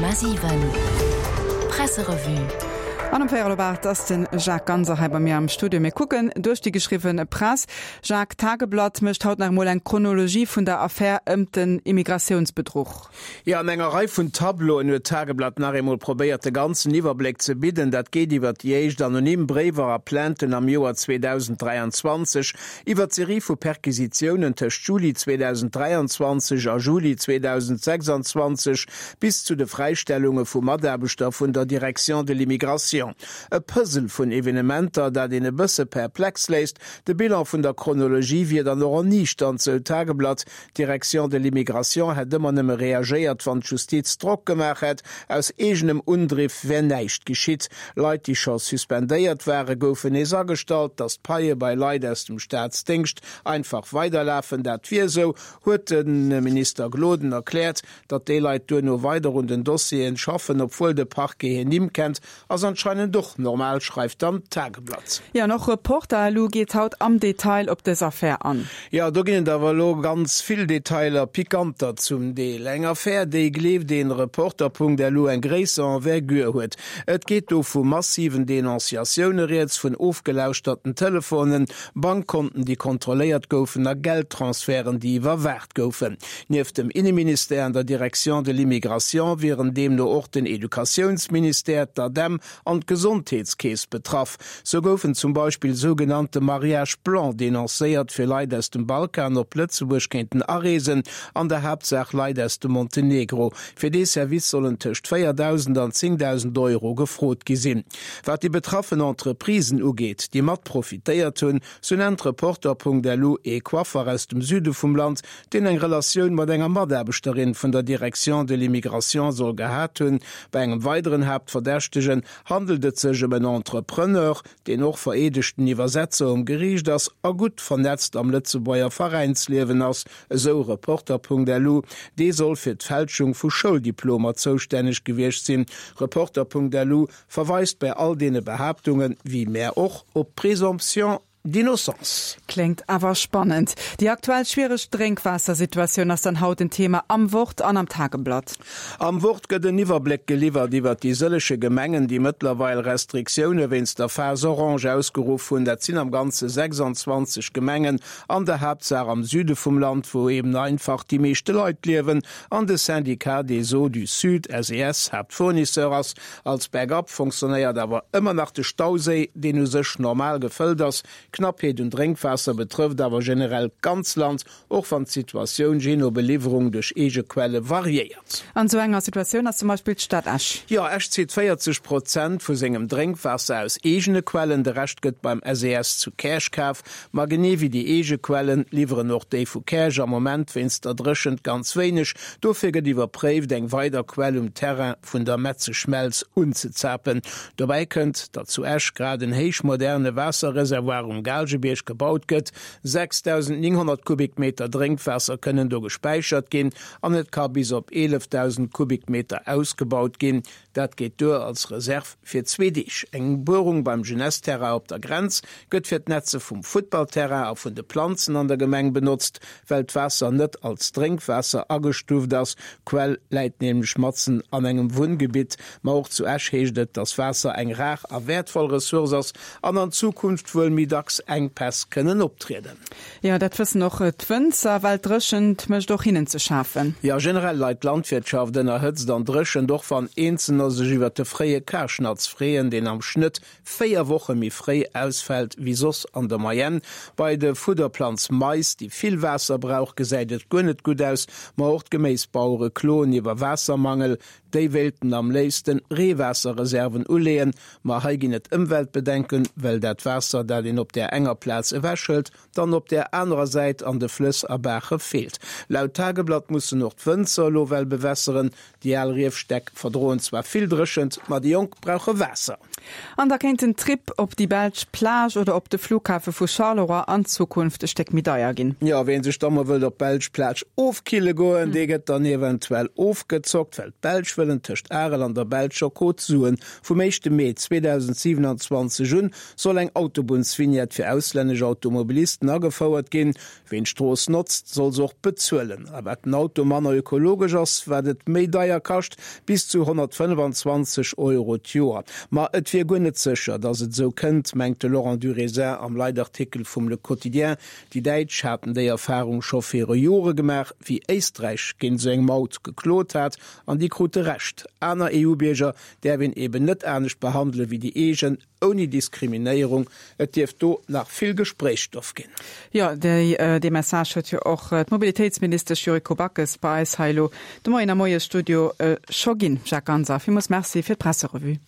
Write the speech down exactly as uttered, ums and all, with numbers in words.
Komma siwen Presserevue. An um véierel op aacht ass de Jacques Ganser hei bei mir am Studio. Mir kucken duerch déi geschriwwen Press. Jacques, d'Tageblatt mécht haut nach emol eng Chronologie vun der Affär ëm den Immigratiounsbedruch. Jo, an enger Rei vun Tableauen huet d'Tageblatt nach eemol probéiert, de ganzen Iwwerbléck ze bidden. Dat geet iwwer déi éischt anonym Bréiwer a Plainten am Joer zweedausenddräianzwanzeg, iwwer d'Serie vu Perquisitiounen tëscht Juli zweedausenddräianzwanzeg a Juli zweedausendsechsanzwanzeg bis zu de Fräistellunge vu Mataarbechter vun der Direction de l'immigration. E Puzzle vun Evenementer, dat een e bësse perplex léisst. De Bilan vun der Chronologie wier dann och erniichternd, sou d'Tageblatt. D'Direction de l'immigration hätt ëmmer nëmme reagéiert, wann d'Justiz Drock gemaach hätt. Aus eegenem Undriff wär näischt geschitt. Leit, déi scho suspendéiert waren, goufen nees agestallt. Datt d'Paie bei Leit aus dem Staatsdéngscht einfach weiderlafen, dat wier esou, huet de Minister Gloden erkläert. Datt déi Leit duerno weider un den Dossieren schaffen, obwuel de Parquet hir Nimm kennt, ass anscheinend och normal, schreift dann d'Tageblatt. Jo, an och Reporter.lu geet haut am Detail op dës Affär an. Jo, do ginn et awer elo ganz vill Detailer, pikanter zum Deel. Eng Affär, déi, gleeft een Reporter.lu, eng gréisser Envergure huet. Et geet do vu massiven Denonciatioune rieds, vun ofgelauschterten Telefonen, Bankkonten, déi kontrolléiert goufen a Geldtransferten, déi iwwerwaacht goufen. Nieft dem Inneministère an der Direction de l'immigration wieren deemno och den Educatiounsministère, d'ADEM an d'Gesondheetskeess betraff. Sou goufen zum Beispill sougenannte Mariages blancs denoncéiert, fir Leit aus dem Balkan op Lëtzebuerg kéinten areesen, an der Haaptsaach Leit aus dem Montenegro. Fir dee Service sollen tëscht véierdausend an zéngdausend Euro gefrot gi sinn. Wat déi betraffen Entreprisen ugeet, déi mat profitéiert hunn, sou nennt Reporter.lu ee Coiffer aus dem Süde vum Land, deen eng Relatioun mat enger Mataarbechterin vun der Direction de l'immigration soll gehat hunn. Bei engem weideren Haaptverdächtegen handelt et sech ëm en Entrepreneur, deen och vereedegten Iwwersetzer um Geriicht ass a gutt vernetzt am Lëtzebuerger Veräinsliewen ass, esou Reporter.lu. Dee soll fir d'Fälschung vu Schouldiplomer zoustänneg gewiescht sinn. Reporter.lu verweist bei all deene Behaaptungen, wéi mär och, op d'Présomption d'innocence. Kléngt awer spannend. Déi aktuell schwiereg Drénkwaassersituatioun ass dann haut en Thema am Wort an am Tageblatt. Am Wort gëtt en Iwwerbléck geliwwert iwwert déi sëllege Gemengen, déi mëttlerweil Restriktioune wéinst der Phase orange ausgeruff hunn. Dat sinn am Ganze sechsanzwanzeg Gemengen, an der Haaptsaach am Süde vum Land, wou eben einfach déi meeschte Leit liewen an de Syndicat des Eaux du Sud, S E S, Haaptfournisseur ass. Als Backup fonctionnéiert awer ëmmer nach de Stauséi, deen u sech normal gefëllt ass. D'Knappheet un Drénkwaasser betrëfft awer generell d'ganz Land, och wann d'Situatioun jee no Beliwwerung duerch eege Quelle variéiert. An esou enger Situatioun ass zum Beispill d'Stad Esch. Jo, Esch zitt véierzeg Prozent vu sengem Drénkwaasser aus eegene Quellen, de Rescht gëtt beim S E S zu Käerch kaf. Ma genee wéi déi eege Quellen, liwweren och déi vu Käerch am Moment wéinst der Dréchent ganz wéineg. Dofir gëtt iwwerpréift, eng weider Quell um Terrain vun der Metzeschmelz unzezapen. Dobäi kënnt, datt zu Esch grad en héichmoderne Waasserreservoir um Gaalgebierg gebaut gëtt. sechsdausendnénghonnert Kubikmeter Drénkwaasser kënnen do gespäichert ginn an et ka bis op eelefdausend Kubikmeter ausgebaut ginn. Dat geet duer als Reserv fir zwee Deeg. Eng Buerung beim Jeunesse-Terrain op der Grenz gëtt fir d'Netze vum Futtballterrain a vun de Planzen an der Gemeng benotzt, well d'Waasser net als Drénkwaasser agestuuft ass. D'Quell läit nämlech matzen an engem Wunngebitt. Ma och zu Esch heescht et, datt Waasser eng rar a wäertvoll Ressource ass an an Zukunft wuel méi dacks Enkpäss kënnen optrieden. Jo, dat wëssen och d'Wënzer, well d'Dréchent mécht och hinnen ze schafen. Jo, generell leit d'Landwirtschaft ënner Hëtzt an Dréchent, och wann Eenzelner sech iwwer de fréie Karschnatz freeën, deen am Schnëtt véier Woche méi fréi ausfält wéi soss an der Moyenne. Bei de Fudderplanz Mais, déi vill Waasser brauch, gesäit et guer net gutt aus. Ma och d'Geméisbauere kloen iwwer Waassermangel. Déi wéilten am léifsten Reewaasserreserven uleeën, ma hei ginn et Ëmweltbedenken, well dat Waasser, dat een op där enger Plaz ewechhëlt, dann op där anerer Säit an de Flëss a Baache feelt. Laut Tageblatt mussen och d'Wënzer elo well bewässeren. Déi al Riefstäck verdroen zwar vill Dréchent, ma déi Jonk brauche Waasser. An da kéint den Trip op déi belsch Plage oder op de Flughafe vu Charleroi an Zukunft e Stéck méi deier ginn. Jo, ween sech da mol wëllt op d'belsch Plage ofkille goen, dee gëtt dann eventuell ofgezockt, well d'Belsch wëllen tëscht Arel an der belscher Côte Suen. Vum éischte Mee zweedausendsiwenanzwanzeg un soll eng Autobunnsvignette fir auslännesch Automobilisten agefouert ginn. Ween d'Strooss notzt, soll se och bezuelen. A wat den Auto manner ökologesch ass, wat et méi deier kascht, bis zu honnertfënnefenzwanzeg Euro d'Joer. Ma et wier guer net sécher, datt et esou kënnt, mengt de Laurent Durézin am Leitartikel vum Le Quotidien. Déi Däitsch haten déi Erfarung scho viru Jore gemaach, wéi Éisträich géint esou eng Maut geklot hat, an déi krute Recht. Aner EU-Bierger däerf een eben net anescht behandele wéi déi eegen, ouni Diskriminéierung. Et dierft do nach vill Gespréichsstoff ginn. Jo, dee Message huet jo och d'Mobilitéitsministesch Yuriko Backes bei eis hei elo de Moien am Moiesstudio scho ginn. Jacques Ganser, villmools Merci fir d'Presserevue.